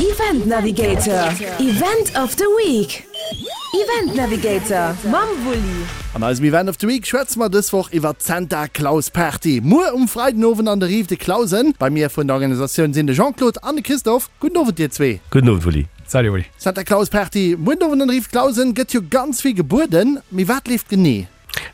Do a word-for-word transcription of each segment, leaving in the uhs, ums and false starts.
Event Navigator, Event of the Week. Event Navigator mam Wulli. An eisem Event of the Week schwätze mer dës Woch iwwer d'Santa Claus Party. Muer um Freidenowend an der Rive de Clausen. Bei mir vun der Organisatioun sinn de Jean-Claude an de Christophe. Gudden Owend dir zwee. Gudden Owend Wulli. Salut Wulli. Santa Claus Party muer den Owend an der Rive Clausen, gëtt jo ganz vill gebueden. Mee wat leeft genee?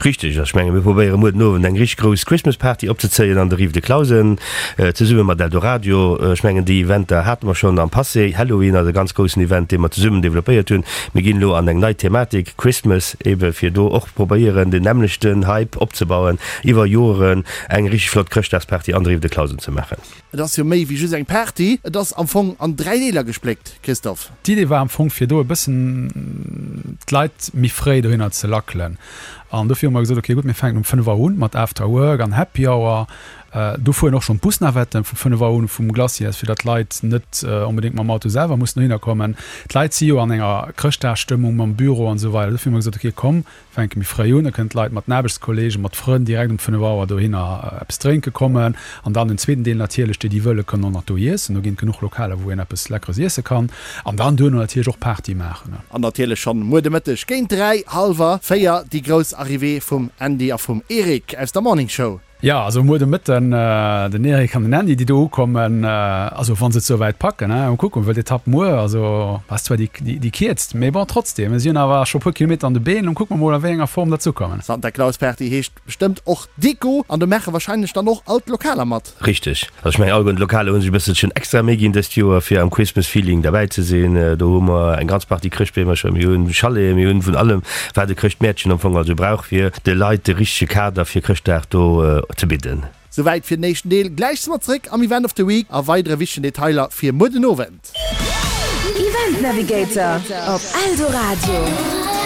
Richteg, ech menge mir probéiere muer den Owend eng richteg grouss Christmas Party opzezéien an der Rive de Clausen, zesumme mat Eldoradio. Ech mengen déi Eventer hate mer schonn am Passé. Halloween ass e ganz groussen Event, dee mer zesummen developpéiert hunn. Mir ginn elo an eng nei Thematik, Christmas ebe fir do och probéieren den nämmlechten Hype opzebauen iwwer Joren, eng richteg flott Chrëschtdagsparty an der Rive de Clausen ze maachen. Et ass jo méi wéi just eng Party, et ass am Fong an dräi Deeler gespléckt, Christophe. D'Idee war am Fong fir do e bëssen d'Leit méi fréi dohinner ze lackelen. An dofir hu mer gesot, ok gutt, mir fänken um fënnef Auer un mat After Work an Happy Hour. Do fueren och schonn d'Busnavetten vu fënnef Auer un vum Glacier, fir datt d'Leit net onbedéngt mam Auto selwer mussen dohinner kommen. D'Leit si jo an enger Chrëschtdagsstëmmung mam Büro an esou weider. Dofir hu mer gesot, ok komm, fänke méi fréi un, da kënnen d'Leit mat den Aarbechtskollegen, mat Frënn direkt um fënnef Auer dohinner eppes drénke kommen. An dann den zweeten Deel natierlech, déi, déi wëlle kënnen och nach do iessen. Do ginn et genuch Lokaler, wou een eppes Leckeres iesse kann. An dann duerno natierlech och Party maachen. An natierlech schonn muer de Mëtteg géint dräi, hallwer véier déi grouss Arrivée vum Andy a vum Eric aus der Morning Show. Jo, also muer de Mëtten den Eric an den Andy, déi do ukommen, also wa se et souwäit packen, hein, mol kucken, well d'Etapp muer, also ass zwar déi, déi kierzt, mee bon, trotzdem, si hunn awer scho e puer Kilometer an de Been, lo kucke mer mol a wéi enger Form dat zoukommen. Santa Claus Party heescht bestëmmt och Deko, an do maache wahrscheinlech dann och all d'Lokaler mat. Richteg. Also ech mengen alleguerten d'Lokaler hu sech e bësselchen extra Méi ginn dëst Joer fir am Christmas Feeling derbäi ze sinn. Do hu mer eng ganz Partie Chrëschtbeemercher, mir hunn Chaleten, mir hunn vun allem wat e Chrëschtmäertchen am Fong also brauch fir de Leit de richtege Kader fir Chrëschtdag do ze bidden. Souwäit fir den éischten Deel. Gläich si mer zeréck am Event of the Week a weidere wichtegen Detailer fir muer den Owend. Event Navigator op Eldoradio.